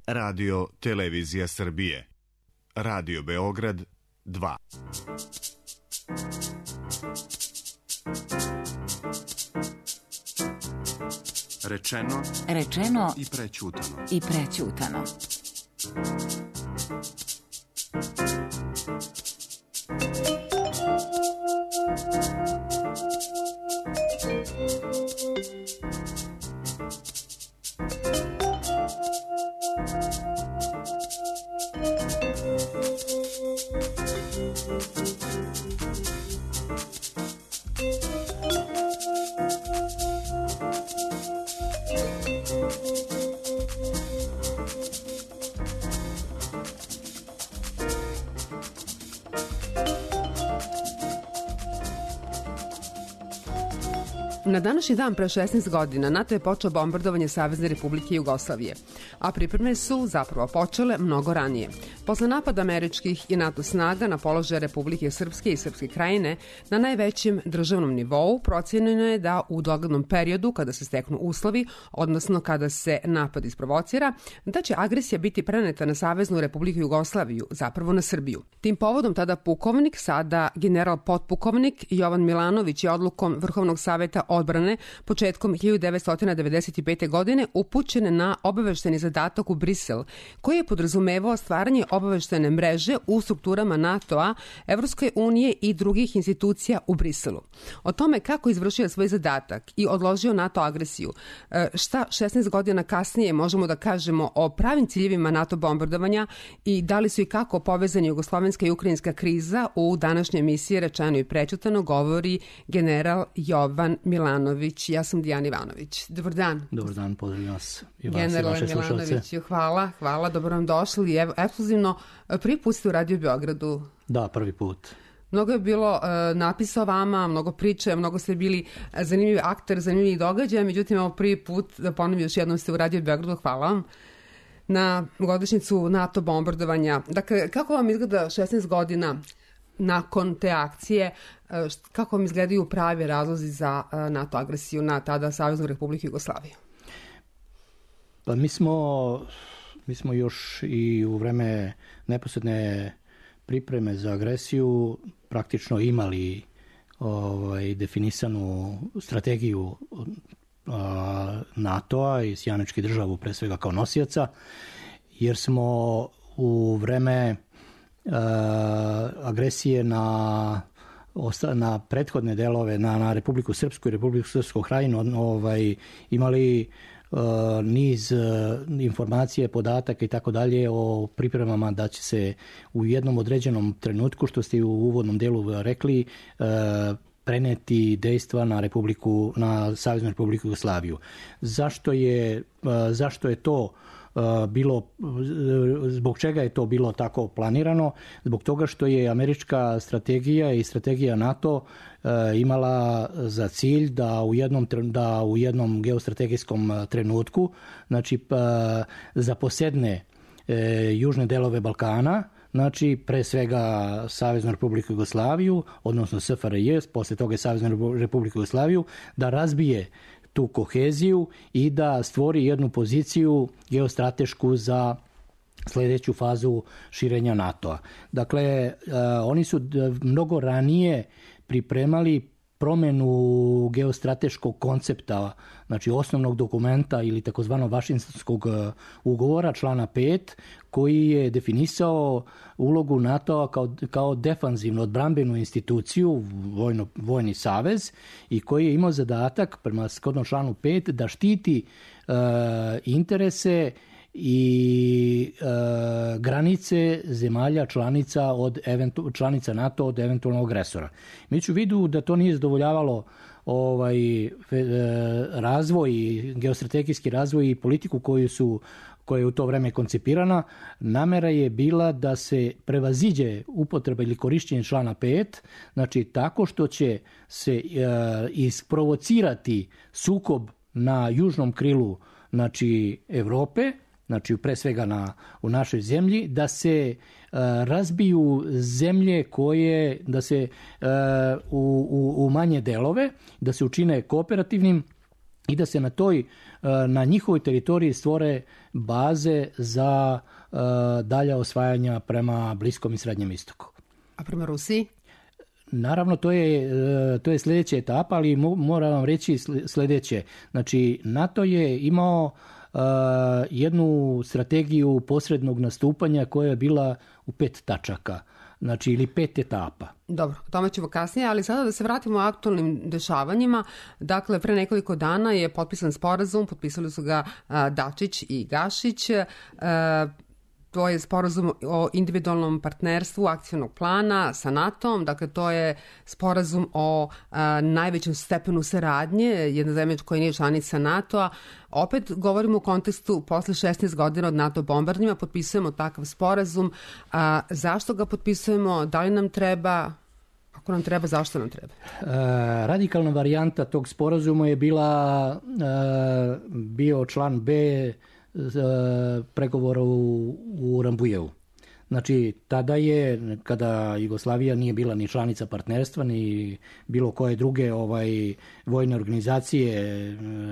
Radio Televizija Srbije. Radio Beograd 2. Rečeno i prećutano. Na današnji dan pre 16 godina NATO je počeo bombardovanje Savezne Republike Jugoslavije, a pripreme su zapravo počele mnogo ranije. Posle napada američkih i NATO snaga na položaje Republike Srpske i Srpske Krajine na najvećem državnom nivou, procenjeno je da u doglednom periodu, kada se steknu uslovi, odnosno kada se napad isprovocira, da će agresija biti preneta na Saveznu Republiku Jugoslaviju, zapravo na Srbiju. Tim povodom tada pukovnik, sada general potpukovnik Jovan Milanović je odlukom Vrhovnog saveta odbrane početkom 1995. godine upućen na obavešteni zadatak u Brisel, koji je podrazumevao stvaranje obaveštene mreže u strukturama NATO-a, Evropske unije i drugih institucija u Briselu. O tome kako izvršio svoj zadatak i odložio NATO agresiju, šta 16 godina kasnije možemo da kažemo o pravim ciljevima NATO bombardovanja i da li su i kako povezani jugoslovenska i ukrajinska kriza, u današnjoj emisiji Rečeno i prećutano govori general Jovan Milanović. Ja sam Dijana Ivanović. Dobar dan. Dobar dan, pozdravljam vas i vas Generale i vaše slušalce. Hvala, dobro vam došli. Evo, ekskluzivno, prvi put ste u Radio Beogradu. Da, prvi put. Mnogo je bilo napisa o vama, mnogo priče, mnogo ste bili zanimljivi akter, zanimljivi događaja, međutim, evo prvi put, da ponovim još jednom, ste u Radio Beogradu. Hvala vam na godišnjicu NATO bombardovanja. Dakle, kako vam izgleda 16 godina nakon te akcije, kako vam izgledaju pravi razlozi za NATO agresiju na tada Saveznu Republiku Jugoslaviju? Pa mi smo još i u vreme neposredne pripreme za agresiju praktično imali definisanu strategiju NATO-a i Sjeničke državu pre svega kao nosioca, jer smo u vreme agresije na prethodne delove, na Republiku Srpsku i Republiku Srpsku Krajinu imali niz informacije, podataka i tako dalje o pripremama da će se u jednom određenom trenutku, što ste u uvodnom delu rekli, preneti dejstva na Saveznu Republiku Jugoslaviju. Zašto je to bilo, zbog čega je to bilo tako planirano? Zbog toga što je američka strategija i strategija NATO imala za cilj da u jednom geostrategijskom trenutku, znači zaposedne južne delove Balkana, znači pre svega Saveznu Republiku Jugoslaviju, odnosno SFRJ, posle toga Saveznu Republiku Jugoslaviju, da razbije tu koheziju i da stvori jednu poziciju geostratešku za sledeću fazu širenja NATO-a. Dakle, oni su mnogo ranije pripremali promenu geostrateškog koncepta, znači osnovnog dokumenta ili takozvanog Vašingtonskog ugovora, člana 5, koji je definisao ulogu NATO-a kao defanzivnu odbrambenu instituciju, vojni savez, i koji je imao zadatak, prema shodnom članu 5, da štiti interese i granice zemalja članica NATO od eventualnog agresora. Mi ću vidu da to nije zadovoljavalo razvoj, geostrategijski razvoj i politiku koja je u to vreme koncipirana. Namera je bila da se prevaziđe upotreba ili korišćenje člana 5, znači tako što će se isprovocirati sukob na južnom krilu, znači Evrope, znači pre svega u našoj zemlji, da se razbiju zemlje da se u manje delove, da se učine kooperativnim i da se na toj na njihovoj teritoriji stvore baze za dalja osvajanja prema Bliskom i Srednjem istoku. A prema Rusiji? Naravno, to je sljedeća etapa, ali moram vam reći sljedeće. Znači, NATO je imao jednu strategiju posrednog nastupanja koja je bila u 5 tačaka. Znači, ili 5 etapa. Dobro, o tome ćemo kasnije, ali sada da se vratimo o aktualnim dešavanjima. Dakle, pre nekoliko dana je potpisan sporazum, potpisali su ga Dačić i Gašić. To je sporazum o individualnom partnerstvu akcionog plana sa NATO-om, dakle to je sporazum o najvećem stepenu saradnje, jedna zemlja koja nije članica NATO-a. Opet govorimo u kontekstu posle 16 godina od NATO bombardovanja, potpisujemo takav sporazum. Zašto ga potpisujemo? Da li nam treba? Ako nam treba, zašto nam treba? Radikalna varijanta tog sporazuma je bio član B pregovora u Rambujevu. Znači, tada je, kada Jugoslavija nije bila ni članica partnerstva, ni bilo koje druge vojne organizacije,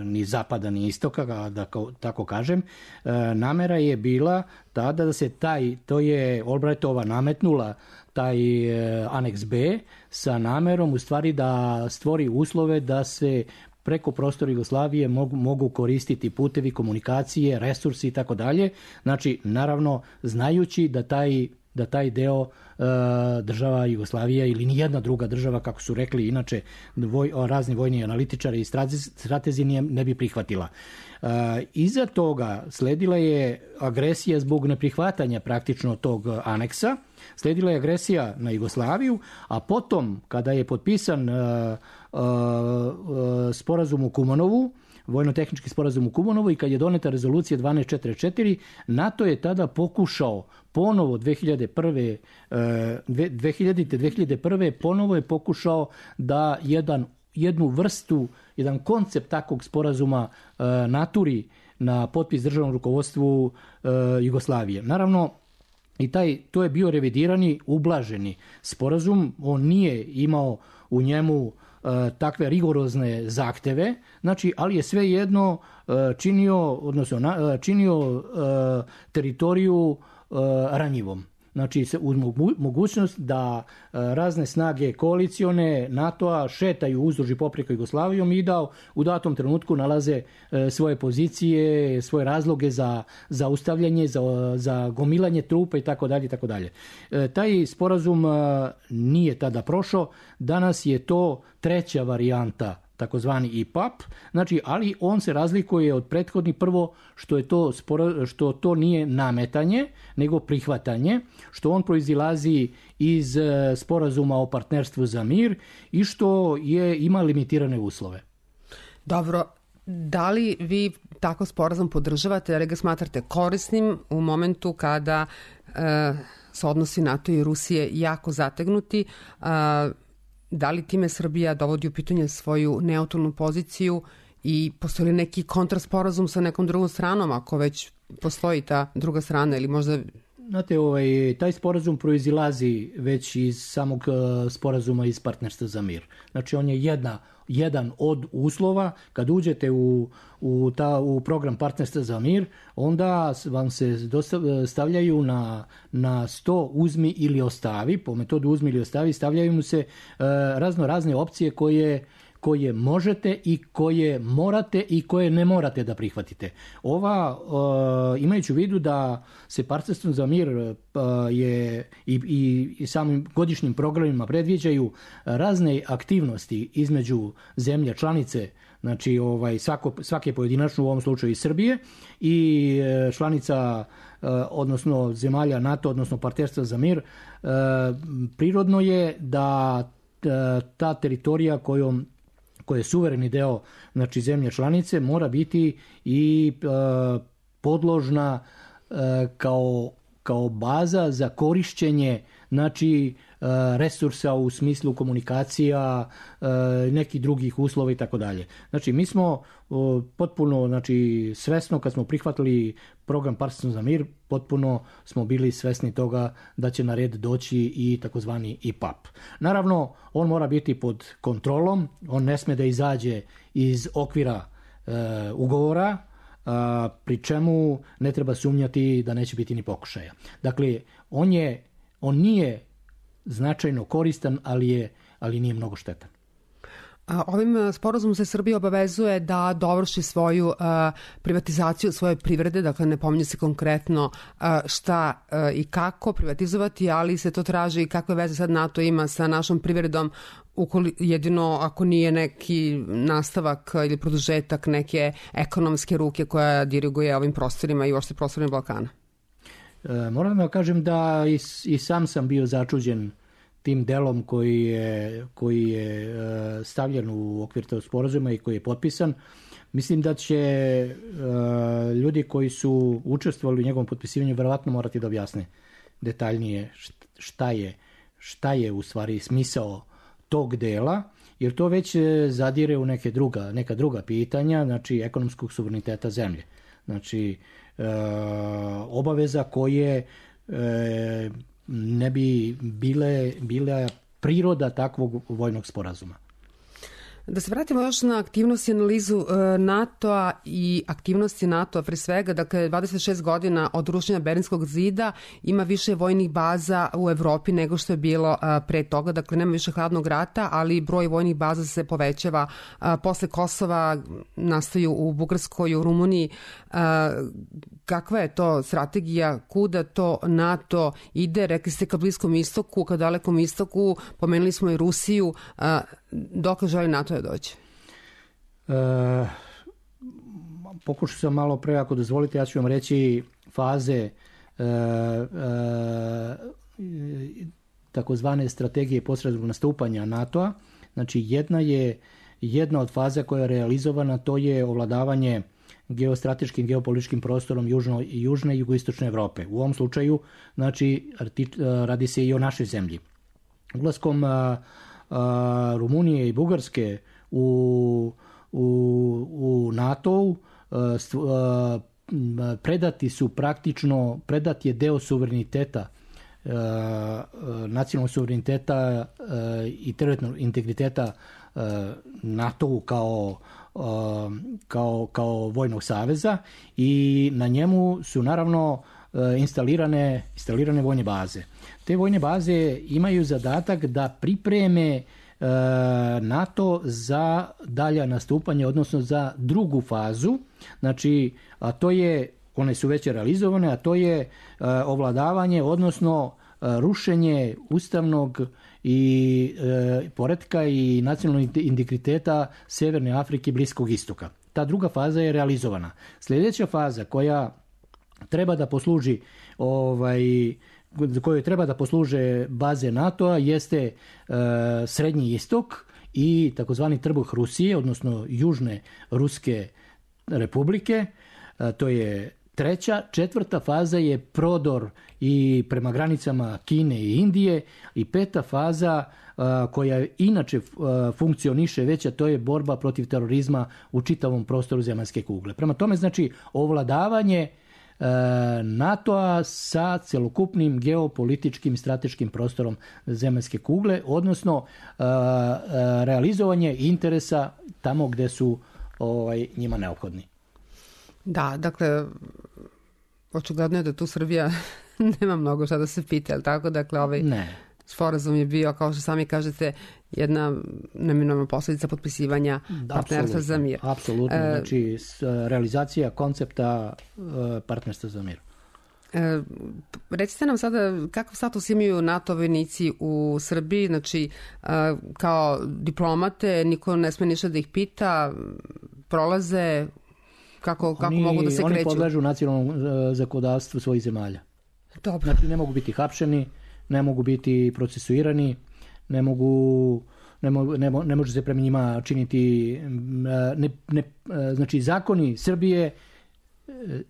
ni zapada, ni istoka, da tako kažem, namera je bila tada da se to je Albrightova nametnula taj aneks B sa namerom u stvari da stvori uslove da se preko prostora Jugoslavije mogu koristiti putevi komunikacije, resursi i tako dalje. Znači, naravno, znajući da taj deo država Jugoslavija ili nijedna druga država, kako su rekli inače razni vojni analitičari i stratezi ne bi prihvatila. Iza toga sledila je agresija zbog neprihvatanja praktično tog aneksa, sledila je agresija na Jugoslaviju, a potom kada je potpisan sporazum u Kumanovu, vojno-tehnički sporazum u Kumanovu i kad je doneta rezolucija 1244, NATO je tada pokušao ponovo 2001. ponovo je pokušao da jednu vrstu, jedan koncept takvog sporazuma naturi na potpis državnom rukovodstvu Jugoslavije. Naravno, to je bio revidirani, ublaženi sporazum, on nije imao u njemu takve rigorozne zahteve, znači, ali je svejedno činio teritoriju ranjivom. Znači, uz mogućnost da razne snage koalicione NATO-a šetaju uzduž i popreko Jugoslavijom i da u datom trenutku nalaze svoje pozicije, svoje razloge za zaustavljanje, za gomilanje trupa i tako dalje, tako dalje. Taj sporazum nije tada prošao, danas je to treća varijanta, takozvani IPAP, znači, ali on se razlikuje od prethodnih, prvo što to nije nametanje, nego prihvatanje, što on proizilazi iz sporazuma o partnerstvu za mir i što ima limitirane uslove. Dobro, da li vi tako sporazum podržavate, ali ga smatrate korisnim u momentu kada se odnosi NATO i Rusije jako zategnuti? Da li time Srbija dovodi u pitanje svoju neutralnu poziciju i postoji li neki kontrasporazum sa nekom drugom stranom, ako već postoji ta druga strana ili možda... Znate, taj sporazum proizilazi već iz samog sporazuma iz partnerstva za mir. Znači, on je jedan od uslova. Kad uđete u program partnerstva za mir, onda vam se stavljaju na 100 uzmi ili ostavi. Po metodu uzmi ili ostavi stavljaju mu se razne opcije koje možete i koje morate i koje ne morate da prihvatite. Imajući u vidu da se partnerstvo za mir je i samim godišnjim programima predviđaju razne aktivnosti između zemlje članice, znači svake pojedinačno, u ovom slučaju i Srbije, i članica, odnosno zemalja NATO, odnosno partnerstva za mir, prirodno je da ta teritorija koja je suvereni deo, znači zemlje članice, mora biti i podložna kao baza za korišćenje, znači, resursa u smislu komunikacija, nekih drugih uslova i tako dalje. Znači, mi smo potpuno, znači, svesno kad smo prihvatili program partnerstva za mir, potpuno smo bili svesni toga da će na red doći i takozvani IPAP. Naravno, on mora biti pod kontrolom, on ne sme da izađe iz okvira ugovora, pri čemu ne treba sumnjati da neće biti ni pokušaja. Dakle, on nije značajno koristan, ali nije mnogo štetan. Ovim sporazumom se Srbija obavezuje da dovrši svoju privatizaciju svoje privrede, dakle ne pominje se konkretno šta i kako privatizovati, ali se to traži i kakve veze sad NATO ima sa našom privredom, jedino ako nije neki nastavak ili produžetak neke ekonomske ruke koja diriguje ovim prostorima i uopšte prostorima Balkana. Moram da kažem da i sam sam bio začuđen tim delom koji je stavljen u okvir tog sporazuma i koji je potpisan. Mislim da će ljudi koji su učestvovali u njegovom potpisivanju verovatno morati da objasne detaljnije šta je u stvari smisao tog dela, jer to već zadire u neka druga pitanja, znači ekonomskog suvereniteta zemlje. Znači obaveza koje ne bi bila priroda takvog vojnog sporazuma. Da se vratimo još na aktivnost i analizu NATO-a i aktivnosti NATO-a pre svega, dakle 26 godina od rušenja Berlinskog zida ima više vojnih baza u Evropi nego što je bilo pre toga, dakle nema više hladnog rata, ali broj vojnih baza se povećava. Posle Kosova nastaju u Bugarskoj, u Rumuniji. Kakva je to strategija, kuda to NATO ide? Rekli ste ka Bliskom istoku, ka Dalekom istoku, pomenuli smo i Rusiju. Dokle želi NATO da dođe? Pokušao sam malo pre, ako dozvolite, ja ću vam reći faze takozvane strategije posrednog nastupanja NATO-a. Znači jedna od faza koja je realizovana, to je ovladavanje geostrateškim, geopolitičkim prostorom južne i jugoistočne Evrope. U ovom slučaju, znači, radi se i o našoj zemlji. Ulaskom Rumunije i Bugarske u NATO-u predat je deo suvereniteta, nacionalnog suvereniteta i teritorijalnog integriteta NATO-u kao vojnog saveza, i na njemu su naravno instalirane vojne baze. Te vojne baze imaju zadatak da pripreme NATO za dalja nastupanje, odnosno za drugu fazu, znači, a to je, one su već realizovane, a to je ovladavanje, odnosno rušenje ustavnog i poretka i nacionalnog integriteta Severne Afrike i Bliskog istoka. Ta druga faza je realizovana. Sljedeća faza koja treba da posluži kojoj treba da posluže baze NATO-a jeste Srednji istok i takozvani trbuh Rusije, odnosno Južne Ruske republike. To je treća. Četvrta faza je prodor i prema granicama Kine i Indije, i peta faza koja inače funkcioniše već, a to je borba protiv terorizma u čitavom prostoru zemaljske kugle. Prema tome, znači, ovladavanje NATO-a sa celokupnim geopolitičkim i strateškim prostorom zemaljske kugle, odnosno realizovanje interesa tamo gde su njima neophodni. Da, dakle, očigledno je da tu Srbija nema mnogo šta da se pita, ali tako? Dakle, sporazum je bio, kao što sami kažete, jedna neminovna posledica potpisivanja partnerstva za mir. Apsolutno, znači realizacija koncepta partnerstva za mir. Recite nam sada kakav status imaju NATO vojnici u Srbiji, znači kao diplomate, niko ne sme ništa da ih pita, prolaze, kako mogu da se kreću? Oni podležu nacionalnom zakonodavstvu svojih zemalja. Dobro. Znači ne mogu biti hapšeni, ne mogu biti procesuirani, ne može se prema njima činiti, znači zakoni Srbije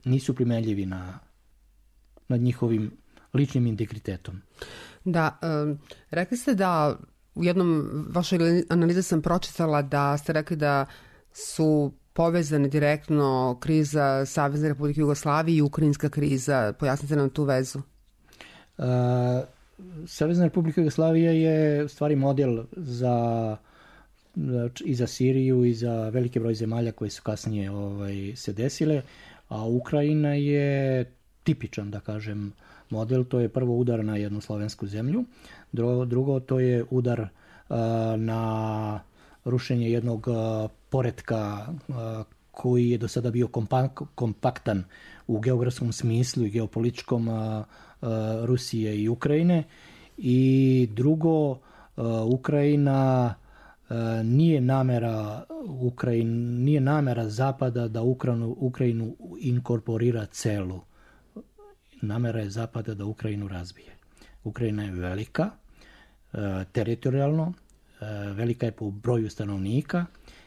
nisu primenljivi nad njihovim ličnim integritetom. Da, rekli ste da u jednom vašoj analizi sam pročitala da ste rekli da su povezane direktno kriza Savezne Republike Jugoslavije i ukrajinska kriza. Pojasnite nam tu vezu. Savezna Republika Jugoslavija je u stvari model za i za Siriju i za veliki broj zemalja koje su kasnije se desile, a Ukrajina je tipičan, da kažem, model. To je prvo udar na jednu slovensku zemlju, drugo to je udar na rušenje jednog poretka koji je do sada bio kompaktan u geografskom smislu i geopolitičkom Rusije i Ukrajine. I drugo, Ukrajina nije namera Zapada da Ukrajinu inkorporira celu. Namera je Zapada da Ukrajinu razbije. Ukrajina je velika, teritorijalno, velika je po broju stanovnika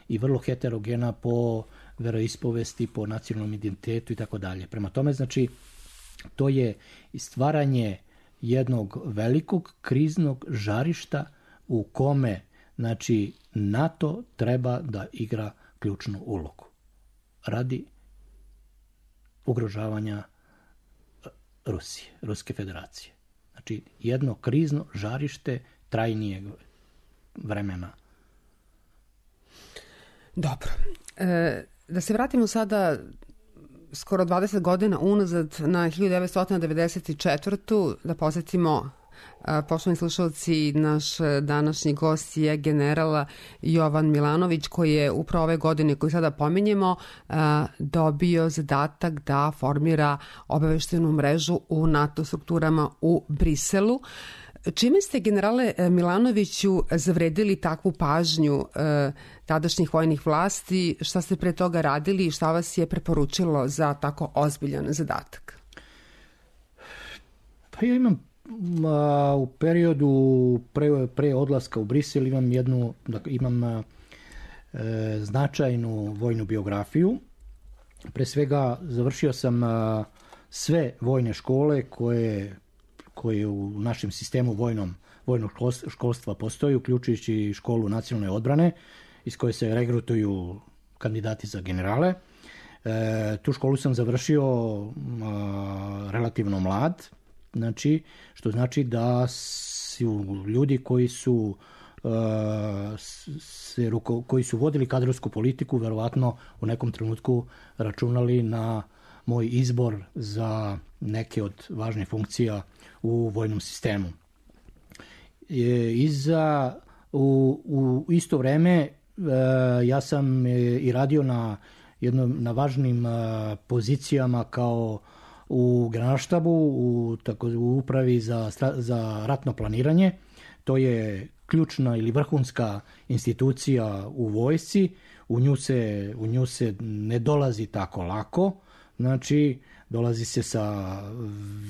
i vrlo heterogena po veroispovesti, po nacionalnom identitetu i tako dalje. Prema tome, znači, to je stvaranje jednog velikog kriznog žarišta u kome, znači, NATO treba da igra ključnu ulogu radi ugrožavanja Rusije, Ruske federacije. Znači, jedno krizno žarište trajnijeg vremena. Dobro. Da se vratimo sada skoro 20 godina unazad na 1994. Da posjetimo, poštovani slušalci, naš današnji gost je general Jovan Milanović, koji je upravo ove godine koju sada pominjemo dobio zadatak da formira obaveštenu mrežu u NATO strukturama u Briselu. Čime ste, generale Milanoviću, zavredili takvu pažnju tadašnjih vojnih vlasti? Šta ste pre toga radili i šta vas je preporučilo za tako ozbiljan zadatak? Pa ja imam u periodu pre odlaska u Brisel imam značajnu vojnu biografiju. Pre svega završio sam sve vojne škole koje u našem sistemu vojnog školstva postoji, uključujući školu nacionalne odbrane, iz koje se regrutuju kandidati za generale. Tu školu sam završio relativno mlad, znači, što znači da su ljudi koji su vodili kadrovsku politiku verovatno u nekom trenutku računali na moj izbor za neke od važnih funkcija u vojnom sistemu. U isto vreme ja sam i radio na važnim pozicijama kao u Generalštabu, u upravi za ratno planiranje. To je ključna ili vrhunska institucija u vojsci. U nju se ne dolazi tako lako. Znači, dolazi se sa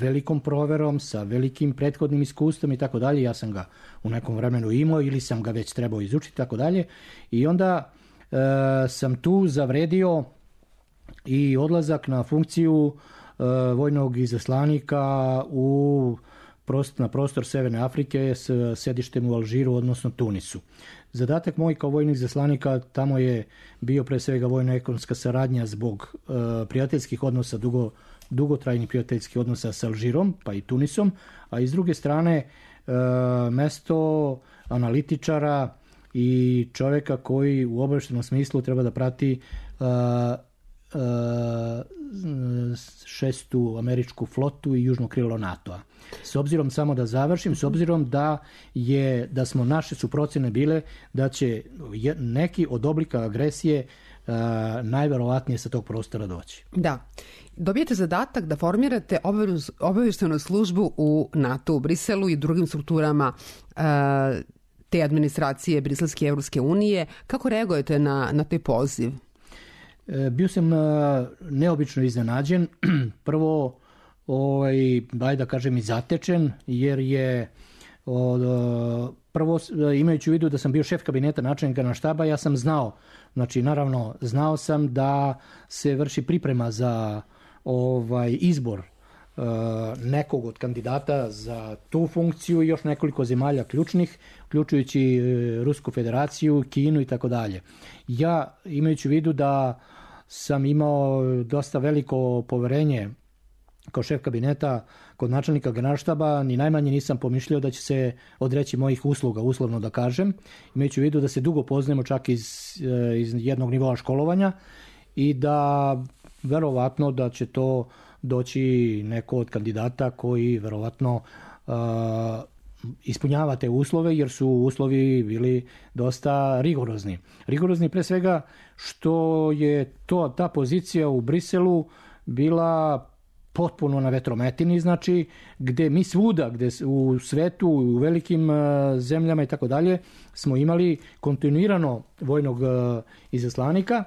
velikom proverom, sa velikim prethodnim iskustvom i tako dalje. Ja sam ga u nekom vremenu imao ili sam ga već trebao izučiti i tako dalje. I onda sam tu zavredio i odlazak na funkciju vojnog izaslanika na prostor Severne Afrike s sedištem u Alžiru, odnosno Tunisu. Zadatak moj kao vojnog izaslanika tamo je bio pre svega vojno-ekonomska saradnja zbog prijateljskih odnosa, dugotrajnih prijateljskih odnosa sa Alžirom, pa i Tunisom, a iz druge strane mesto analitičara i čovjeka koji u obavještajnom smislu treba da prati šestu američku flotu i južno krilo NATO-a. S obzirom, samo da završim, s obzirom da smo naše su procjene bile da će neki od oblika agresije najverovatnije sa tog prostora doći. Da. Dobijete zadatak da formirate obavještajnu službu u NATO u Briselu i drugim strukturama te administracije Briselske i Evropske unije. Kako reagujete na taj poziv? Bio sam neobično iznenađen. Prvo, da kažem, i zatečen, jer je prvo, imajući u vidu da sam bio šef kabineta načelnika Generalštaba, ja sam znao sam da se vrši priprema za izbor nekog od kandidata za tu funkciju i još nekoliko zemalja ključnih, uključujući Rusku federaciju, Kinu i tako dalje. Ja, imajući u vidu da sam imao dosta veliko poverenje kao šef kabineta kod načelnika Generalštaba ni najmanje nisam pomišljao da će se odreći mojih usluga, uslovno da kažem, imajući u vidu da se dugo poznajemo čak iz jednog nivoa školovanja i da verovatno da će to doći neko od kandidata koji verovatno ispunjava te uslove, jer su uslovi bili dosta rigorozni. Rigorozni pre svega što je ta pozicija u Briselu bila potpuno na vetrometini, znači gde mi svuda, gde u svetu, u velikim zemljama i tako dalje, smo imali kontinuirano vojnog izaslanika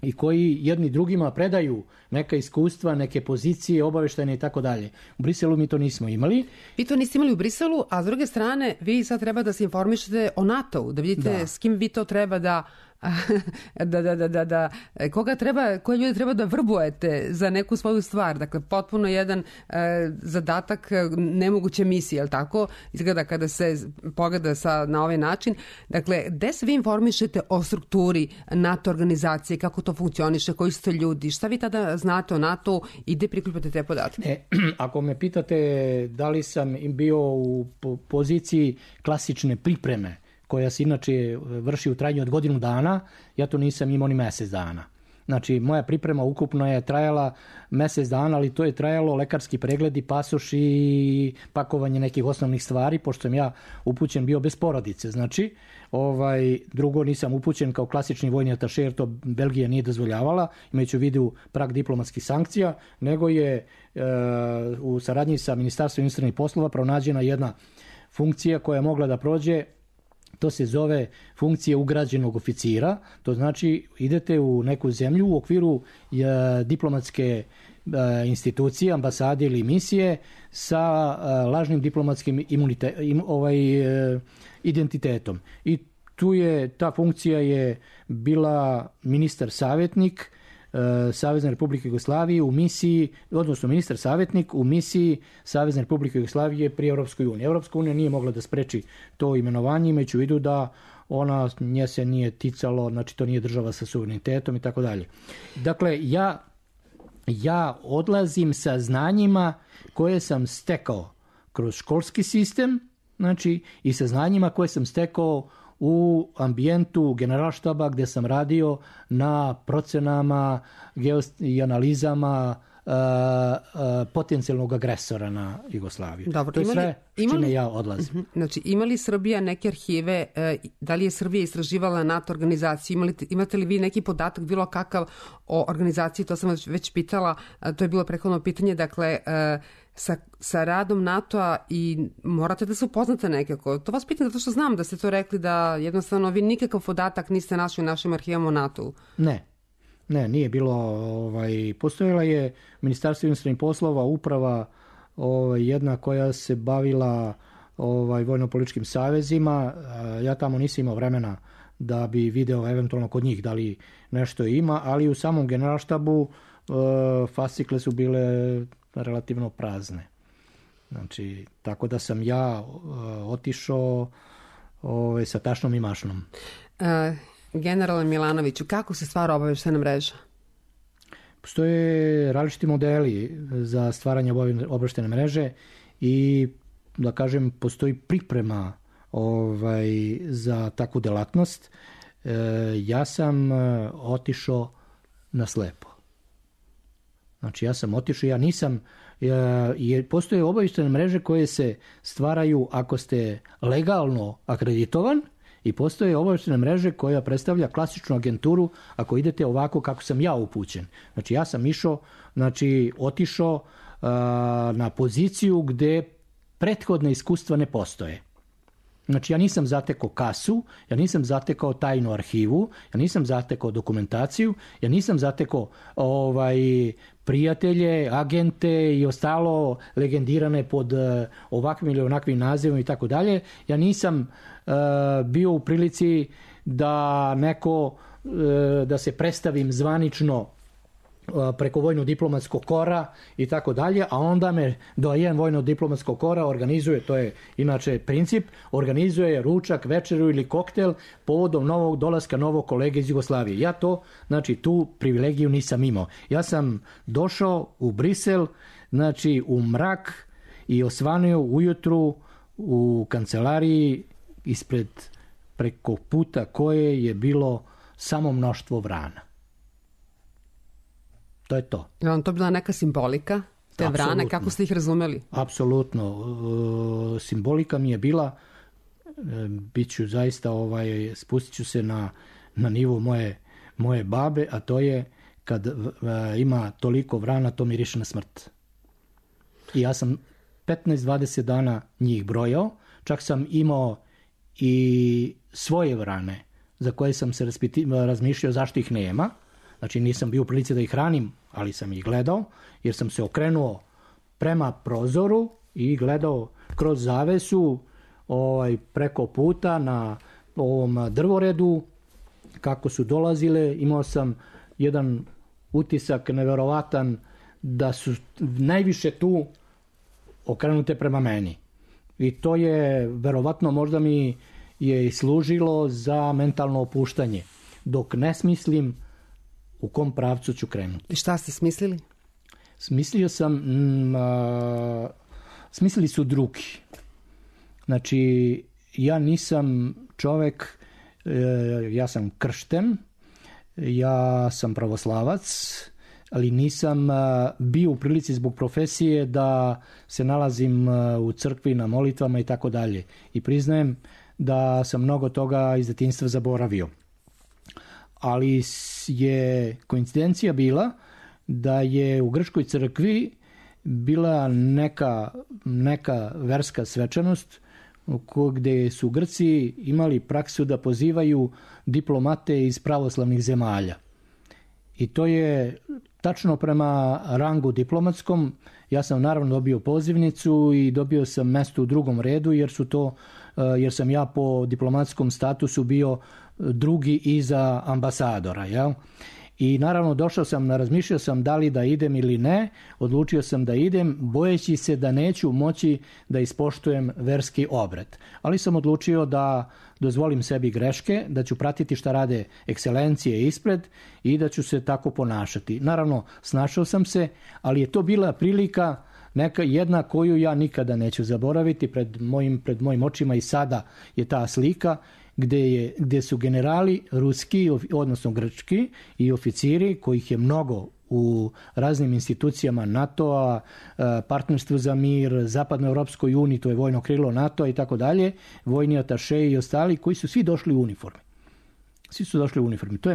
i koji jedni drugima predaju neka iskustva, neke pozicije, obaveštajne i tako dalje. U Briselu mi to nismo imali. Vi to niste imali u Briselu, a s druge strane vi sad treba da se informišete o NATO-u, da vidite s kim vi to treba da koje ljude treba da vrbujete za neku svoju stvar. Dakle, potpuno jedan zadatak nemoguće misije, je li tako? Izgleda kada se pogleda na ovaj način. Dakle, gde se vi informišete o strukturi NATO organizacije, kako to funkcioniše, koji su to ljudi, šta vi tada znate o NATO i gde prikupate te podatke? Ako me pitate da li sam bio u poziciji klasične pripreme, koja se inače vrši u trajanju od godinu dana, ja to nisam imao ni mesec dana. Znači, moja priprema ukupno je trajala mesec dana, ali to je trajalo lekarski pregledi, pasoš i pakovanje nekih osnovnih stvari, pošto sam ja upućen bio bez porodice. Znači, drugo nisam upućen kao klasični vojni ataše, jer to Belgija nije dozvoljavala, imajući u vidu prag diplomatskih sankcija, nego je u saradnji sa Ministarstvom inostranih poslova pronađena jedna funkcija koja je mogla da prođe. To se zove funkcija ugrađenog oficira, to znači idete u neku zemlju u okviru diplomatske institucije, ambasade ili misije sa lažnim diplomatskim identitetom. I ta funkcija je bila ministar savjetnik Savezne Republike Jugoslavije u misiji, odnosno ministar savjetnik u misiji Savezne Republike Jugoslavije pri Europskoj uniji. Europska unija nije mogla da spreči to imenovanje, imajući u vidu da nje se nije ticalo, znači to nije država sa suverenitetom i tako dalje. Dakle, ja odlazim sa znanjima koje sam stekao kroz školski sistem, znači i sa znanjima koje sam stekao u ambijentu Generalštaba gdje sam radio na procenama i analizama potencijalnog agresora na Jugoslaviju. Dobro, to je sve s čime ja odlazim. Znači, ima li Srbija neke arhive, da li je Srbija istraživala NATO organizaciju, imate li vi neki podatak bilo kakav o organizaciji, to sam već pitala, to je bilo prethodno pitanje, dakle, sa radom NATO-a i morate da se upoznate nekako. To vas pitam zato što znam da ste to rekli, da jednostavno vi nikakav podatak niste našli u našim arhivama o NATO-u. Ne, nije bilo. Postojala je Ministarstvo inostranih poslova, uprava jedna koja se bavila vojno-političkim savezima. Ja tamo nisam imao vremena da bi video eventualno kod njih da li nešto ima, ali u samom Generalštabu fascikle su bile relativno prazne. Znači, tako da sam ja otišao sa tašnom i mašnom. Generale Milanoviću, kako se stvara obaveštajna mreža? Postoje različiti modeli za stvaranje obaveštajne mreže i, da kažem, postoji priprema za takvu delatnost. Ja sam otišao na slepo. Znači, ja sam otišao, ja nisam, postoje obaveštajne mreže koje se stvaraju ako ste legalno akreditovan i postoje obaveštajne mreže koja predstavlja klasičnu agenturu ako idete ovako kako sam ja upućen. Znači, ja sam otišao na poziciju gde prethodne iskustva ne postoje. Znači, ja nisam zatekao kasu, ja nisam zatekao tajnu arhivu, ja nisam zatekao dokumentaciju, ja nisam zatekao prijatelje, agente i ostalo legendirane pod ovakvim ili onakvim nazivom i tako dalje. Ja nisam bio u prilici da se predstavim zvanično preko vojno-diplomatskog kora i tako dalje, a onda me doajen vojno-diplomatskog kora organizuje, to je inače princip, organizuje ručak, večeru ili koktel povodom novog dolaska novog kolege iz Jugoslavije. Ja to, znači tu privilegiju nisam imao. Ja sam došao u Brisel, znači u mrak i osvanio ujutru u kancelariji ispred preko puta koje je bilo samo mnoštvo vrana. To je to. Je vam to bila neka simbolika, te vrane, kako ste ih razumeli? Apsolutno. Simbolika mi je bila, bit ću zaista, spustit ću se na nivo moje babe, a to je kad ima toliko vrana, to miriše na smrt. I ja sam 15-20 dana njih brojao, čak sam imao i svoje vrane za koje sam se razmišljao zašto ih nema. Znači nisam bio u prilici da ih hranim, ali sam ih gledao, jer sam se okrenuo prema prozoru i gledao kroz zavesu preko puta na ovom drvoredu kako su dolazile. Imao sam jedan utisak neverovatan da su najviše tu okrenute prema meni. I to je verovatno možda mi je i služilo za mentalno opuštanje, dok ne smislim u kom pravcu ću krenuti. I šta ste smislili? Smislio sam, smislili su drugi. Znači, ja nisam čovek, ja sam kršten, ja sam pravoslavac, ali nisam bio u prilici zbog profesije da se nalazim u crkvi na molitvama i tako dalje. I priznajem da sam mnogo toga iz detinjstva zaboravio. Ali je koincidencija bila da je u grčkoj crkvi bila neka verska svečanost gde su Grci imali praksu da pozivaju diplomate iz pravoslavnih zemalja. I to je tačno prema rangu diplomatskom. Ja sam naravno dobio pozivnicu i dobio sam mesto u drugom redu jer sam ja po diplomatskom statusu bio drugi iza ambasadora. Jel? I naravno razmišljao sam da li da idem ili ne, odlučio sam da idem, bojeći se da neću moći da ispoštujem verski obred. Ali sam odlučio da dozvolim sebi greške, da ću pratiti šta rade ekscelencije ispred i da ću se tako ponašati. Naravno, snašao sam se, ali je to bila prilika jedna koju ja nikada neću zaboraviti pred mojim očima i sada je ta slika gde su generali ruski, odnosno grčki i oficiri, kojih je mnogo u raznim institucijama NATO-a, Partnerstvu za mir, Zapadnoevropskoj uniji, to je vojno krilo NATO-a i tako dalje, vojni atašeji i ostali koji su svi došli u uniformi. Svi su došli u uniformi. To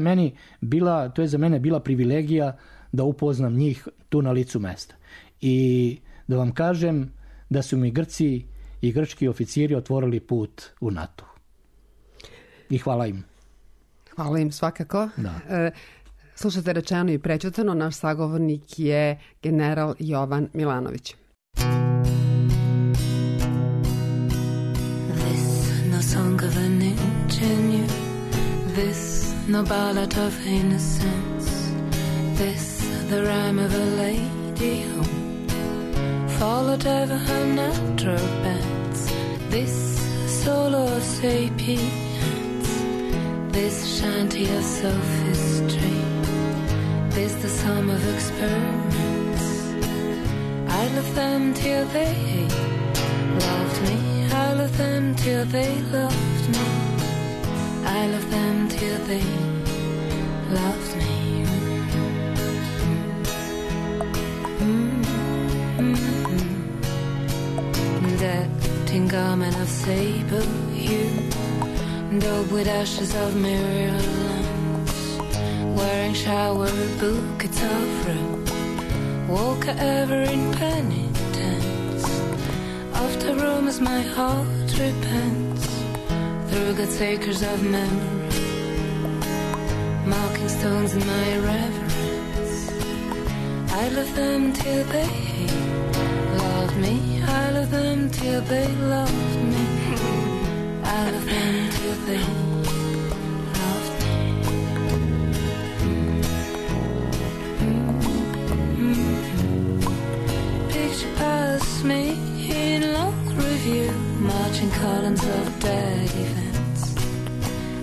je za mene bila privilegija da upoznam njih tu na licu mesta. I da vam kažem da su mi Grci i grčki oficiri otvorili put u NATO. I hvala im. Hvala im svakako. Da. Slušate Rečeno i prećutano, naš sagovornik je general Jovan Milanović. This no song of an ingenue, this no ballad of innocence, this the rhyme of a lady who followed ever her natural bents, this solo of sapience, this shanty of sophistry, this the sum of experiments. I love them till they loved me, I love them till they loved me, I love them till they loved me. Decked in garment of sable hue, daubed with ashes of myriads, wearing shower bouquets of rue, woke ever in penitence. Of the rumors my heart repents, through God's acres of memory, marking stones in my reverence. I love them till they loved me, I love them till they loved me, I love them till they loved me. me in long review, marching columns of dead events.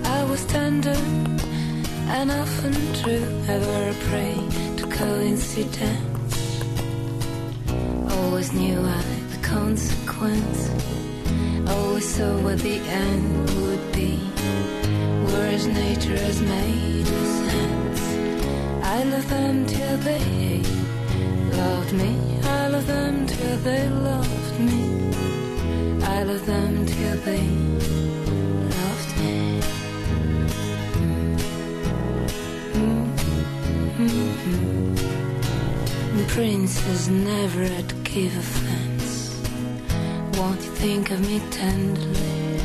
I was tender and often true, ever a prey to coincidence. Always knew I the consequence, always saw what the end would be, whereas nature has made us hands. I love them till they loved me, I love them till they loved me, I love them till they loved me. Princes never had to give offense. Won't you think of me tenderly?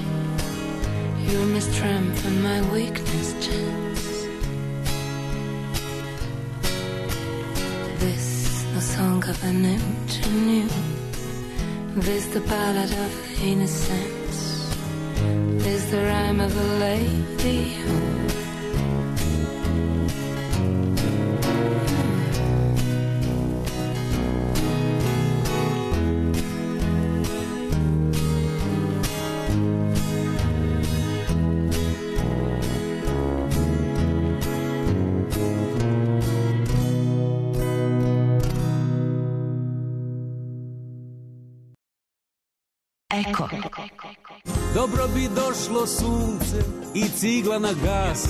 You're my strength and my weakness chance. This no song of an ingenue, this the ballad of innocence, this the rhyme of a lady who Eko. Dobro bi došlo sunce i cigla na gas,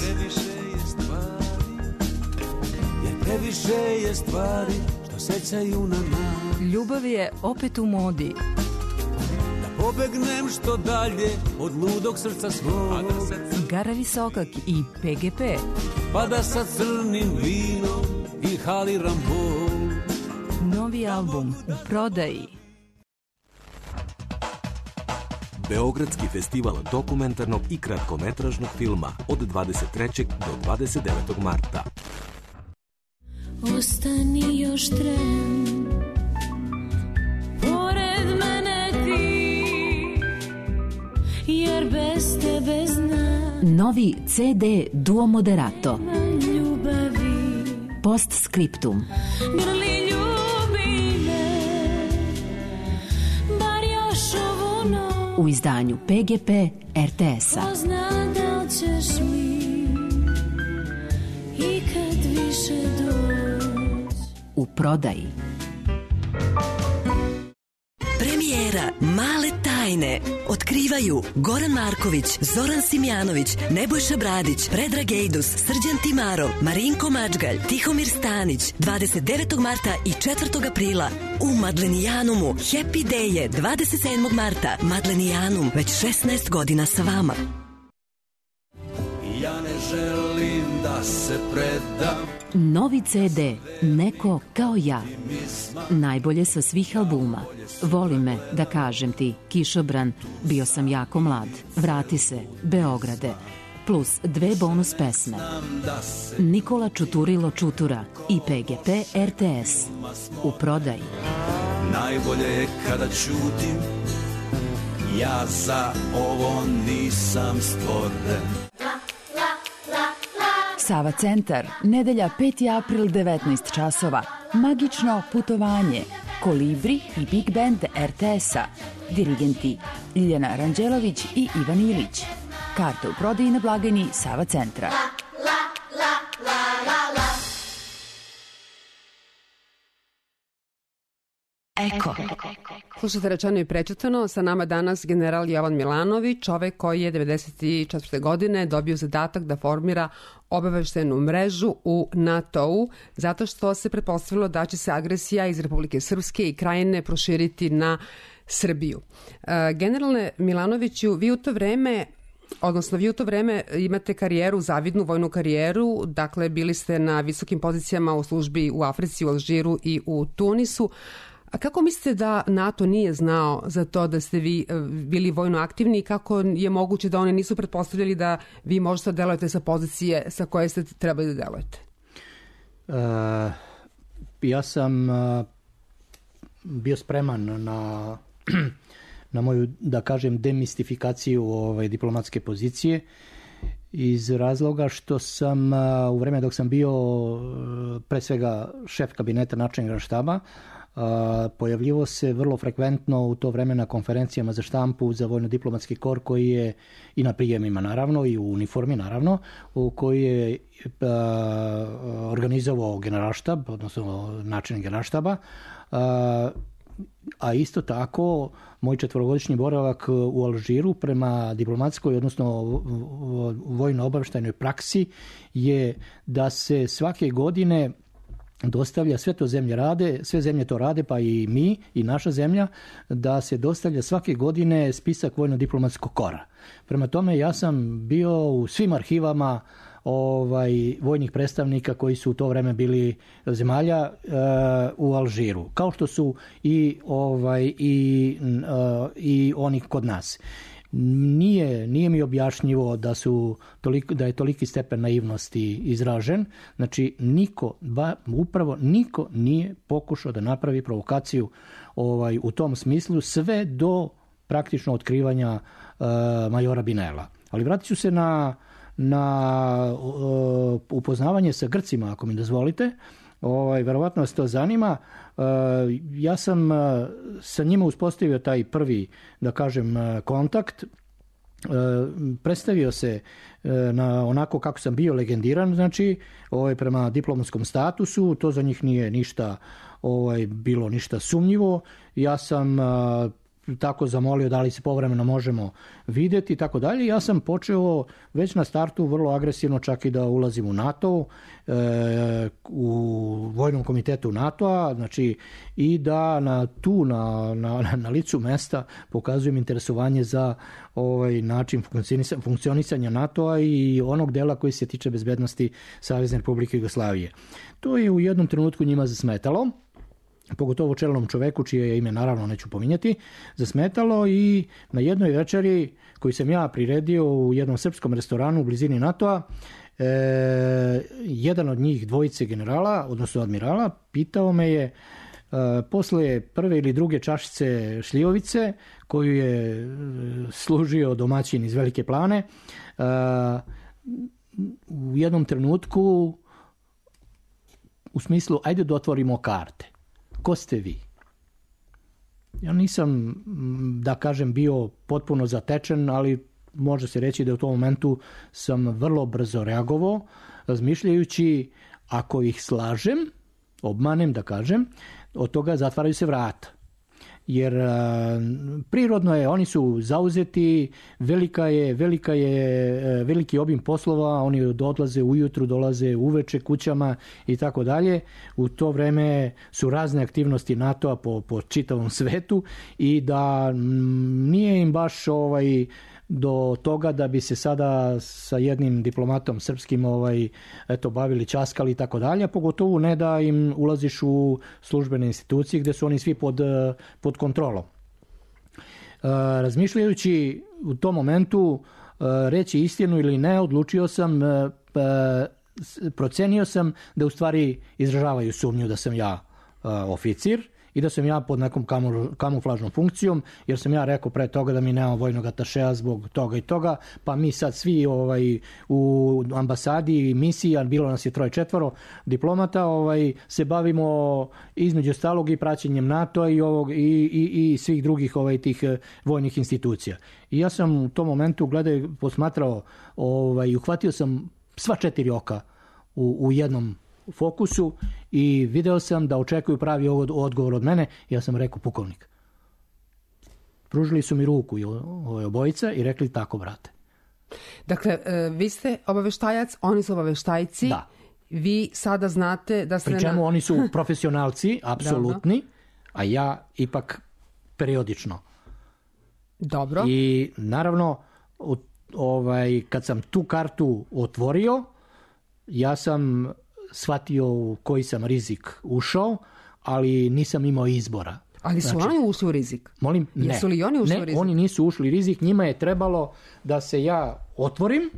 jer previše je stvari što sećaju na nas. Ljubav je opet u modi. Da pobegnem što dalje od ludog srca svog, Gara Visokak i PGP. pa da sa crnim vinom inhaliram bol. Novi album u prodaji. Beogradski festival dokumentarnog i kratkometražnog filma od 23. do 29. marta. Ostani još tren, pored mene ti, jer bez tebe znam Novi CD Duo Moderato. ljubavi. Postscriptum. Grli ljubi me, bar još ovu noć. U izdanju PGP RTS-a. Ko zna da li ćeš mi ikad više doći. U prodaji. Premijera Male tajne otkrivaju Goran Marković, Zoran Simjanović, Nebojša Bradić, Predrag Ejdus, Srđan Timarov, Marinko Mačgalj, Tihomir Stanić, 29. marta i 4. aprila u Madlenijanumu. Happy Day je 27. marta. Madlenijanum, već 16 godina sa vama. Ja ne želim da se predam. Novi CD Neko kao ja. Najbolje sa svih albuma. Voli me, da kažem ti, Kišobran, Bio sam jako mlad, Vrati se, Beograde, plus 2 bonus pesme. Nikola Čuturilo Čutura i PGP RTS. U prodaji. Najbolje je kada ćutim, ja za ovo nisam stvoren. Sava centar, nedelja 5. april 19 časova. Magično putovanje. Kolibri i Big Band RTS-a. Dirigenti Ljiljana Ranđelović i Ivan Ilić. Karte u prodaji na blagajni Sava centra. Eko. Slušajte Rečeno i prečitano, sa nama danas general Jovan Milanović, čovek koji je 1994. godine dobio zadatak da formira obaveštajnu mrežu u NATO-u, zato što se pretpostavilo da će se agresija iz Republike Srpske i Krajine proširiti na Srbiju. Generalne Milanoviću, vi u to vreme imate karijeru, zavidnu vojnu karijeru, dakle bili ste na visokim pozicijama u službi u Africi, u Alžiru i u Tunisu. A kako mislite da NATO nije znao za to da ste vi bili vojno aktivni i kako je moguće da oni nisu pretpostavljali da vi možete delujete sa pozicije sa koje ste trebali da delujete? Ja sam bio spreman na moju, da kažem, demistifikaciju diplomatske pozicije iz razloga što sam u vreme dok sam bio pre svega šef kabineta načelnika štaba, pojavljivo se vrlo frekventno u to vreme na konferencijama za štampu za vojno-diplomatski kor koji je i na prijemima naravno i u uniformi naravno, u koji je organizovao generalštab, odnosno načelnik generalštaba, a isto tako moj 4-godišnji boravak u Alžiru prema diplomatskoj, odnosno vojno-obaveštajnoj praksi je da se svake godine dostavlja, sve to zemlje rade, sve zemlje to rade, pa i mi i naša zemlja, da se dostavlja svake godine spisak vojno-diplomatskog kora. Prema tome ja sam bio u svim arhivama vojnih predstavnika koji su u to vreme bili zemalja u Alžiru, kao što su i oni kod nas. Nije mi objašnjivo da je toliki stepen naivnosti izražen. Znači upravo niko nije pokušao da napravi provokaciju u tom smislu sve do praktično otkrivanja majora Binela. Ali vratit ću se na upoznavanje sa Grcima, ako mi dozvolite. Verovatno vas to zanima. Ja sam sa njima uspostavio taj prvi, da kažem, kontakt. Predstavio se onako kako sam bio legendiran, znači prema diplomatskom statusu, to za njih nije ništa bilo ništa sumnjivo. Ja sam tako zamolio da li se povremeno možemo vidjeti i tako dalje. Ja sam počeo već na startu vrlo agresivno čak i da ulazim u NATO, u vojnom komitetu NATO-a, znači i da na licu mesta pokazujem interesovanje za način funkcionisanja NATO-a i onog dela koji se tiče bezbednosti Savezne Republike Jugoslavije. To je u jednom trenutku njima zasmetalo, pogotovo čelnom čoveku, čije ime naravno neću pominjati, zasmetalo i na jednoj večeri koju sam ja priredio u jednom srpskom restoranu u blizini NATO-a, jedan od njih, dvojice generala, odnosno admirala, pitao me je posle prve ili druge čašice šljivovice koju je služio domaćin iz Velike Plane, u jednom trenutku u smislu ajde da otvorimo karte. Ko ste vi? Ja nisam, da kažem, bio potpuno zatečen, ali može se reći da u tom momentu sam vrlo brzo reagovao, razmišljajući ako ih slažem, obmanem, da kažem, od toga zatvaraju se vrata. Jer prirodno je, oni su zauzeti, veliki obim poslova, oni odlaze ujutru, dolaze uveče kućama i tako dalje. U to vreme su razne aktivnosti NATO-a po čitavom svetu i da nije im baš do toga da bi se sada sa jednim diplomatom srpskim bavili, časkali i tako dalje, pogotovo ne da im ulaziš u službene institucije gde su oni svi pod kontrolom. Razmišljajući u tom momentu reći istinu ili ne, odlučio sam, procenio sam da u stvari izražavaju sumnju da sam ja oficir i da sam ja pod nekom kamuflažnom funkcijom, jer sam ja rekao pre toga da mi nema vojnog atašeja zbog toga i toga, pa mi sad svi u ambasadi i misiji, a bilo nas je 3-4 diplomata, se bavimo između ostalog i praćenjem NATO-a i svih drugih tih vojnih institucija. I ja sam u tom momentu posmatrao i uhvatio sam sva 4 oka u jednom fokusu i video sam da očekuju pravi odgovor od mene. Ja sam rekao pukovnik. Pružili su mi ruku obojica i rekli tako, brate. Dakle, vi ste obaveštajac, oni su obaveštajci. Da. Vi sada znate da ste... Pri čemu oni su profesionalci, apsolutni, a ja ipak periodično. Dobro. I naravno, kad sam tu kartu otvorio, ja sam shvatio u koji sam rizik ušao, ali nisam imao izbora. Ali su oni ušli u rizik? Molim? Ne. Jesu li oni ušli u rizik? Ne, oni nisu ušli u rizik. Njima je trebalo da se ja otvorim.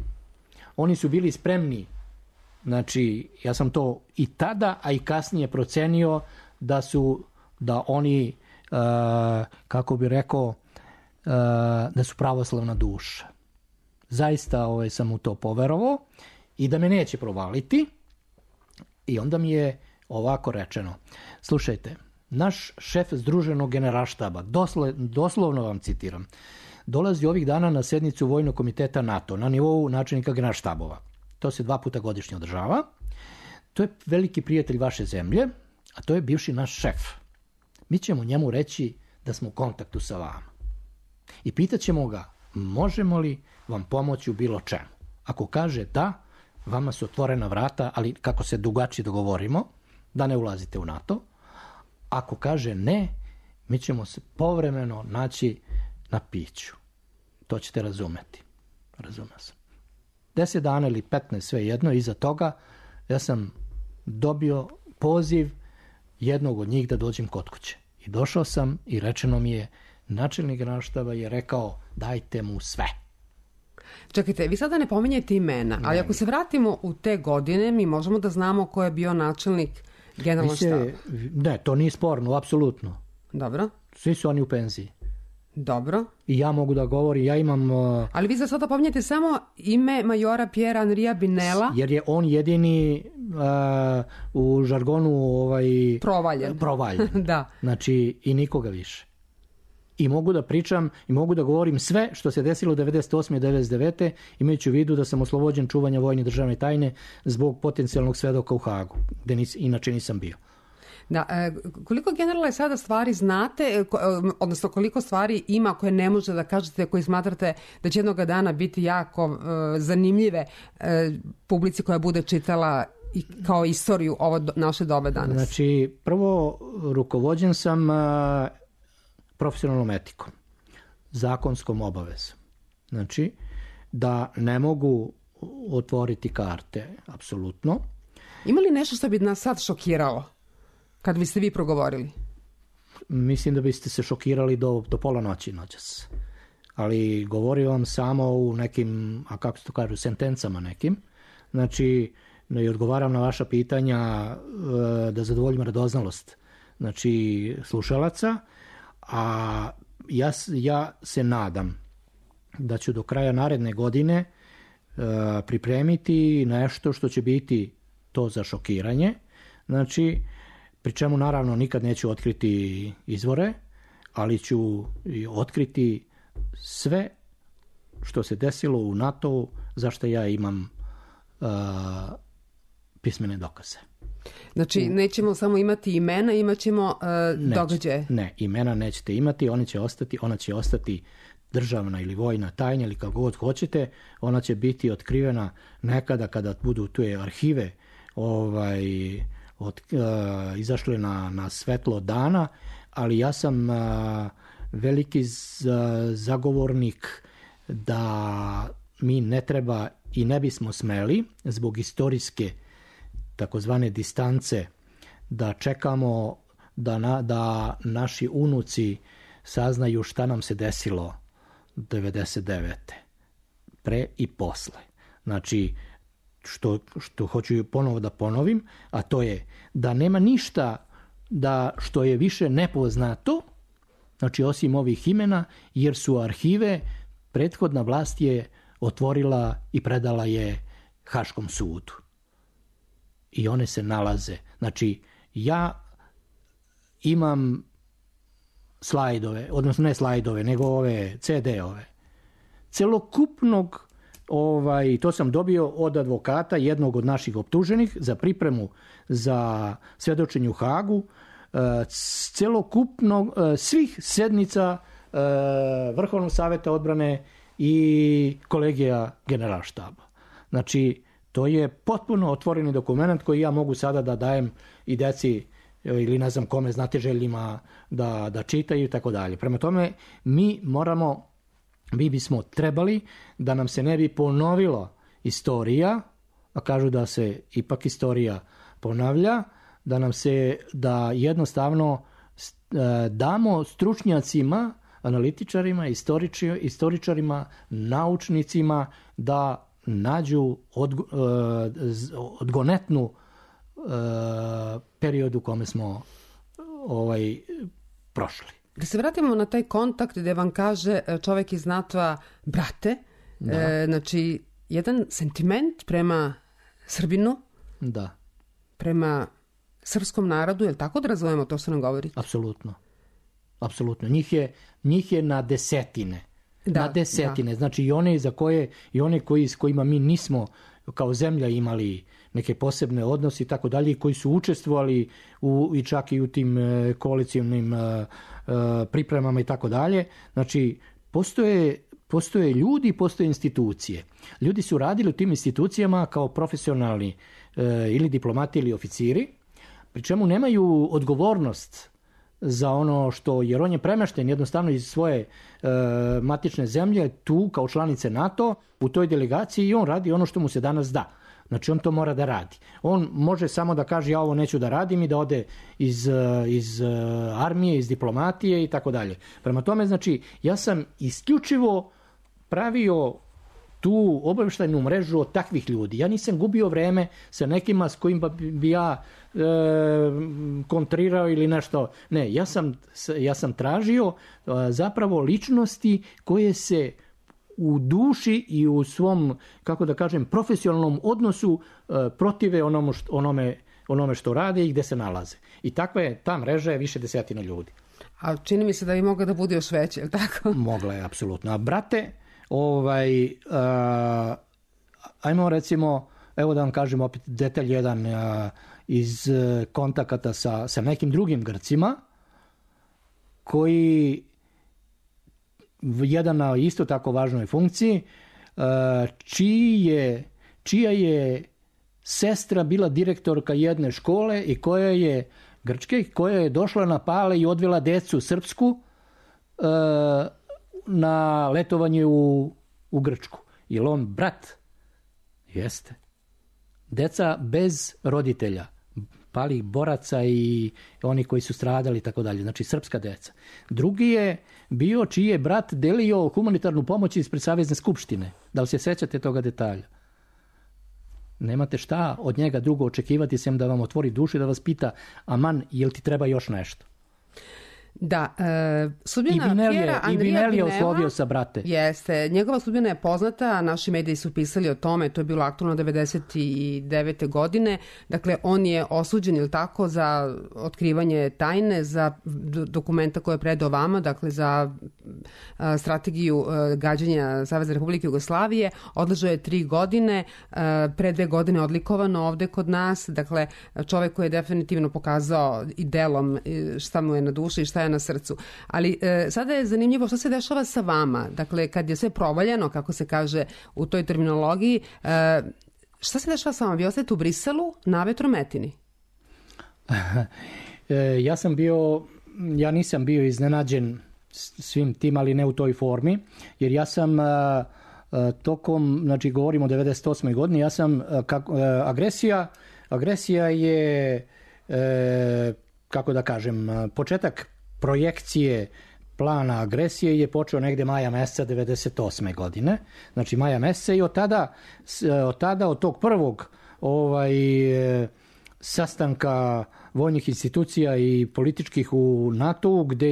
Oni su bili spremni. Znači, ja sam to i tada, a i kasnije procenio da oni, kako bi rekao, da su pravoslavna duša. Zaista sam u to poverovao i da me neće provaliti. I onda mi je ovako rečeno, slušajte, naš šef Združenog generalštaba, doslovno vam citiram, dolazi ovih dana na sednicu Vojnog komiteta NATO na nivou načelnika generalštabova. To se 2 puta godišnje održava. To je veliki prijatelj vaše zemlje, a to je bivši naš šef. Mi ćemo njemu reći da smo u kontaktu sa vama. I pitaćemo ga, možemo li vam pomoći u bilo čemu? Ako kaže da, vama su otvorena vrata, ali kako se drugačije dogovorimo, da ne ulazite u NATO. Ako kaže ne, mi ćemo se povremeno naći na piću. To ćete razumeti. Razumio sam. 10 dana ili 15, sve jedno, iza toga ja sam dobio poziv jednog od njih da dođem kod kuće. I došao sam i rečeno mi je, načelnik generalštaba je rekao, dajte mu sve. Čekajte, vi sada ne pominjete imena, ali ako se vratimo u te godine, mi možemo da znamo ko je bio načelnik generalnog štaba. Ne, to nije sporno, apsolutno. Dobro. Svi su oni u penziji. Dobro. I ja mogu da govorim, ja imam... Ali vi za sada pominjete samo ime majora Piera Andrija Binela. Jer je on jedini u žargonu provaljen. Da. Znači, i nikoga više. I mogu da pričam i mogu da govorim sve što se desilo 98. i 99. imajući u vidu da sam oslobođen čuvanja vojne državne tajne zbog potencijalnog svedoka u Hagu, gde inače nisam bio. Da, koliko generale sada stvari znate, odnosno koliko stvari ima koje ne možete da kažete, koji smatrate da će jednoga dana biti jako zanimljive publici koja bude čitala i kao istoriju ovo naše dobe danas? Znači, prvo, rukovođen sam profesionalnom etikom, zakonskom obavezom. Znači, da ne mogu otvoriti karte, apsolutno. Ima li nešto što bi nas sad šokiralo kad biste vi progovorili? Mislim da biste se šokirali do pola noći noćas. Ali govorim vam samo u nekim, a kako se to kažu, sentencama nekim. Znači, i odgovaram na vaša pitanja da zadovoljim radoznalost. Znači, slušalaca. A ja se nadam da ću do kraja naredne godine pripremiti nešto što će biti to za šokiranje. Znači, pri čemu naravno nikad neću otkriti izvore, ali ću otkriti sve što se desilo u NATO-u, zašto ja imam pismene dokaze. Znači, nećemo samo imati imena, imat ćemo događaje. Ne, imena nećete imati, ona će ostati državna ili vojna tajna ili kako god hoćete, ona će biti otkrivena nekada kada budu tu arhive izašle na svetlo dana, ali ja sam veliki zagovornik da mi ne treba i ne bismo smeli zbog istorijske takozvane distance da čekamo da naši unuci saznaju šta nam se desilo 99. pre i posle. Znači, što hoću ponovo da ponovim, a to je da nema ništa što je više nepoznato, znači osim ovih imena, jer su arhive prethodna vlast je otvorila i predala je Haškom sudu. I one se nalaze. Znači, ja imam slajdove, odnosno ne slajdove, nego ove CD-ove. Celokupnog, to sam dobio od advokata jednog od naših optuženih za pripremu za svedočenje u Hagu, celokupnog svih sednica Vrhovnog saveta odbrane i kolegija generalštaba. Znači, to je potpuno otvoreni dokument koji ja mogu sada da dajem i deci ili ne znam kome, znatiželjima da čitaju i tako dalje. Prema tome, mi bismo trebali da nam se ne bi ponovila istorija, a kažu da se ipak istorija ponavlja, da jednostavno damo stručnjacima, analitičarima, istoričarima, naučnicima da nađu odgonetnu period u kome smo prošli. Da se vratimo na taj kontakt gde vam kaže čovek iz NATO-a brate, znači jedan sentiment prema Srbinu, da, prema srpskom narodu, je li tako da razumemo to što nam govori? Apsolutno. Apsolutno. Njih je na desetine. Na desetine. Znači i one s kojima mi nismo kao zemlja imali neke posebne odnose i tako dalje, koji su učestvovali i čak i u tim koalicijnim pripremama i tako dalje. Znači, postoje ljudi, postoje institucije. Ljudi su radili u tim institucijama kao profesionalni ili diplomati ili oficiri, pri čemu nemaju odgovornost za ono što, jer on je premešten jednostavno iz svoje matične zemlje tu kao članice NATO u toj delegaciji i on radi ono što mu se danas da. Znači on to mora da radi. On može samo da kaže ja ovo neću da radim i da ode iz armije, iz diplomatije i tako dalje. Prema tome, znači, ja sam isključivo pravio tu obavještajnu mrežu od takvih ljudi. Ja nisam gubio vreme sa nekima s kojima bi ja kontrirao ili nešto. Ne, ja sam tražio zapravo ličnosti koje se u duši i u svom, kako da kažem, profesionalnom odnosu protive onome što rade i gde se nalaze. I takva je ta mreža je više desetina ljudi. A čini mi se da bi mogla da bude još veće, je li tako? Mogla je, apsolutno. A brate, ajmo recimo, evo da vam kažem opet detalj jedan iz kontakata sa nekim drugim Grcima, koji jedan na isto tako važnoj funkciji, čija je sestra bila direktorka jedne škole i koja je Grčke, koja je došla na Pale i odvela decu srpsku na letovanje u Grčku. Je li on brat? Jeste. Deca bez roditelja, palih boraca i oni koji su stradali i tako dalje. Znači srpska deca. Drugi je bio čiji je brat delio humanitarnu pomoć ispred Savezne skupštine. Da li se sećate toga detalja? Nemate šta od njega drugo očekivati sem da vam otvori dušu i da vas pita aman, jel ti treba još nešto? Da, sudbina Pjera Andrija Binela oslovio sa brate. Jeste, njegova sudbina je poznata, naši mediji su pisali o tome, to je bilo aktualno 1999. godine, dakle on je osuđen, ili tako, za otkrivanje tajne, za dokumenta koje je predao vama, dakle za strategiju gađanja Savezne Republike Jugoslavije, odležao je 3 godine, pre 2 godine odlikovano ovde kod nas, dakle čovek koji je definitivno pokazao i delom šta mu je na duši i šta je na srcu. Ali sada je zanimljivo što se dešava sa vama. Dakle, kad je sve provaljeno, kako se kaže u toj terminologiji, šta se dešava sa vama? Vi ostajete u Briselu na vetrometini? Ja nisam bio iznenađen svim tim, ali ne u toj formi, jer ja sam tokom, znači govorimo o 98. godini, ja sam, agresija je, kako da kažem, početak projekcije plana agresije je počeo negde maja meseca 98. godine. Znači maja meseca i od tog prvog sastanka vojnih institucija i političkih u NATO-u gde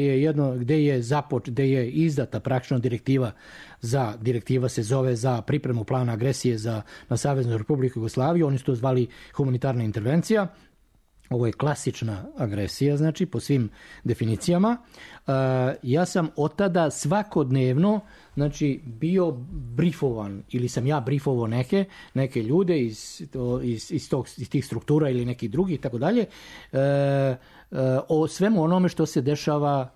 je izdata praktično direktiva se zove za pripremu plana agresije na Saveznu Republiku Jugoslaviju, oni su to zvali humanitarna intervencija. Ovo je klasična agresija, znači, po svim definicijama. Ja sam od tada svakodnevno, znači, bio brifovan, ili sam ja brifovao neke ljude iz tih struktura ili nekih drugih, tako dalje, o svemu onome što se dešava,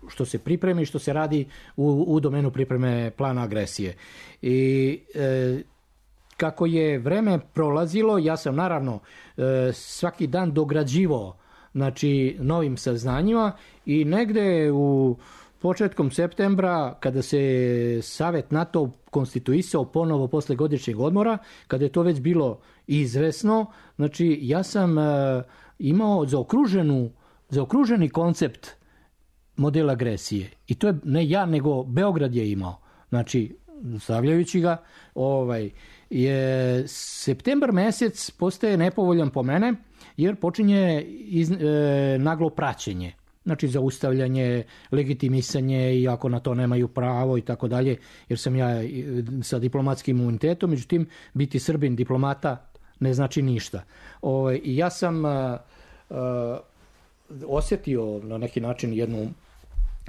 što se pripremi, što se radi u domenu pripreme plana agresije. I kako je vreme prolazilo, ja sam naravno svaki dan dograđivao, znači, novim saznanjima i negde u početkom septembra, kada se Savet NATO konstituisao ponovo posle godišnjeg odmora, kada je to već bilo izvesno, znači ja sam imao zaokruženi koncept modela agresije. I to je ne ja, nego Beograd je imao. Znači, stavljajući ga, septembar mesec postaje nepovoljan po mene, jer počinje naglo praćenje. Znači zaustavljanje, legitimisanje, i ako na to nemaju pravo i tako dalje, jer sam ja sa diplomatskim imunitetom, međutim biti Srbin diplomata ne znači ništa. I ja sam osjetio na neki način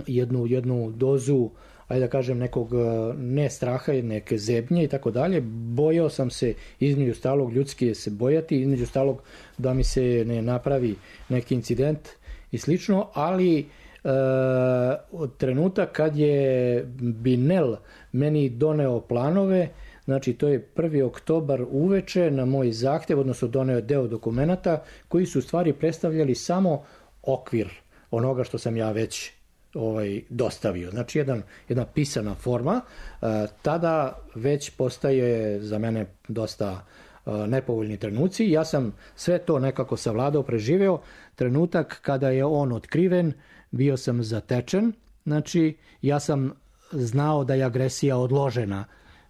jednu dozu, ajde da kažem, nekog ne straha, neke zebnje i tako dalje. Bojao sam se, između stalog, ljudski je se bojati, između stalog da mi se ne napravi neki incident i slično, ali od trenutak kad je Binel meni doneo planove, znači to je 1. oktobar uveče na moj zahtev, odnosno doneo je deo dokumenata koji su u stvari predstavljali samo okvir onoga što sam ja već dostavio. Znači jedna pisana forma, tada već postaje za mene dosta nepovoljni trenuci. Ja sam sve to nekako savladao, preživeo. Trenutak kada je on otkriven, bio sam zatečen. Znači, ja sam znao da je agresija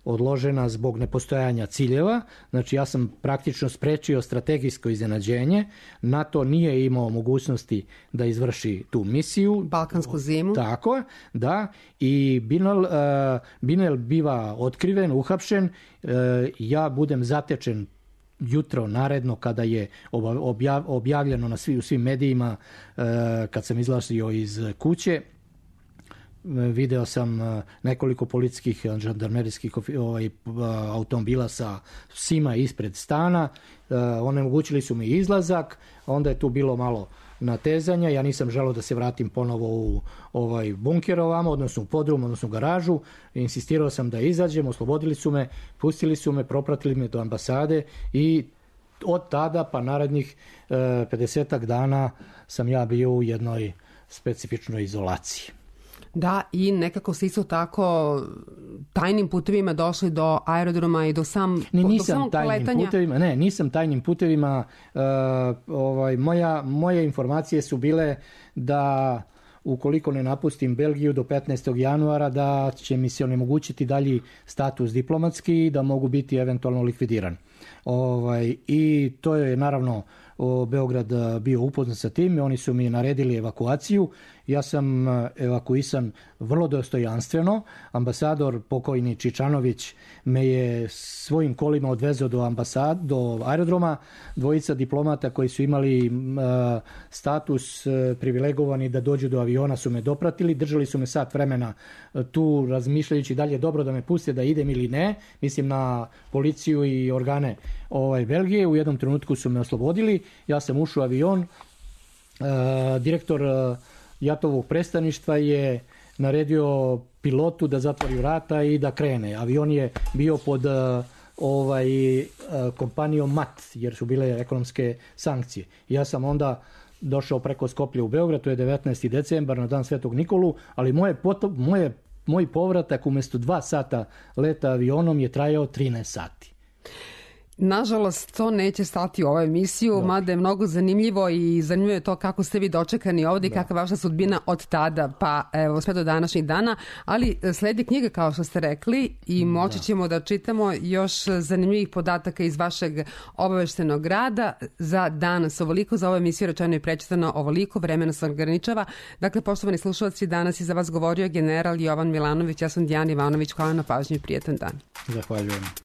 odložena zbog nepostojanja ciljeva. Znači, ja sam praktično sprečio strategijsko iznenađenje. NATO nije imao mogućnosti da izvrši tu misiju. Balkansku zimu. Tako, da. I Binel biva otkriven, uhapšen. Ja budem zatečen jutro naredno kada je objavljeno u svim medijima, kad sam izlazio iz kuće. Video sam nekoliko policijskih, žandarmerijskih automobila sa psima ispred stana. Onemogućili su mi izlazak, onda je tu bilo malo natezanja. Ja nisam želeo da se vratim ponovo u bunker ovamo, odnosno u podrum, odnosno u garažu. Insistirao sam da izađem, oslobodili su me, pustili su me, propratili me do ambasade i od tada pa narednih 50 dana sam ja bio u jednoj specifičnoj izolaciji. Da, i nekako ste isto tako tajnim putevima došli do aerodroma i do samog poletanja. Nisam tajnim putevima. Moje informacije su bile da ukoliko ne napustim Belgiju do 15. januara da će mi se onemogućiti dalji status diplomatski i da mogu biti eventualno likvidiran. I to je naravno Beograd bio upoznat sa tim, oni su mi naredili evakuaciju. Ja sam evakuisan vrlo dostojanstveno. Ambasador pokojni Čičanović me je svojim kolima odvezao do aerodroma. Dvojica diplomata koji su imali status privilegovani da dođu do aviona su me dopratili. Držali su me sat vremena tu razmišljajući da li je dobro da me puste da idem ili ne. Mislim na policiju i organe Belgije. U jednom trenutku su me oslobodili. Ja sam ušao u avion. Direktor Jatovog predstavništva je naredio pilotu da zatvori vrata i da krene. Avion je bio pod kompanijom MAT, jer su bile ekonomske sankcije. Ja sam onda došao preko Skoplja u Beograd, to je 19. decembar na dan Svetog Nikolu, ali moj povratak umjesto 2 sata leta avionom je trajao 13 sati. Nažalost, to neće stati u ovoj emisiju, mada je mnogo zanimljivo i zanimljivo je to kako ste vi dočekani ovdje i kakva je vaša sudbina od tada pa evo sve do današnjih dana, ali sledi knjiga kao što ste rekli i moći ćemo da čitamo još zanimljivih podataka iz vašeg obaveštenog rada. Za danas ovoliko, za ovu emisiju rečeno i prečitano ovoliko, vremena se ograničava. Dakle, poštovani slušalci, danas je za vas govorio general Jovan Milanović, ja sam Dijana Ivanović, hvala na pažnju i prijetan dan. Zahvaljujem.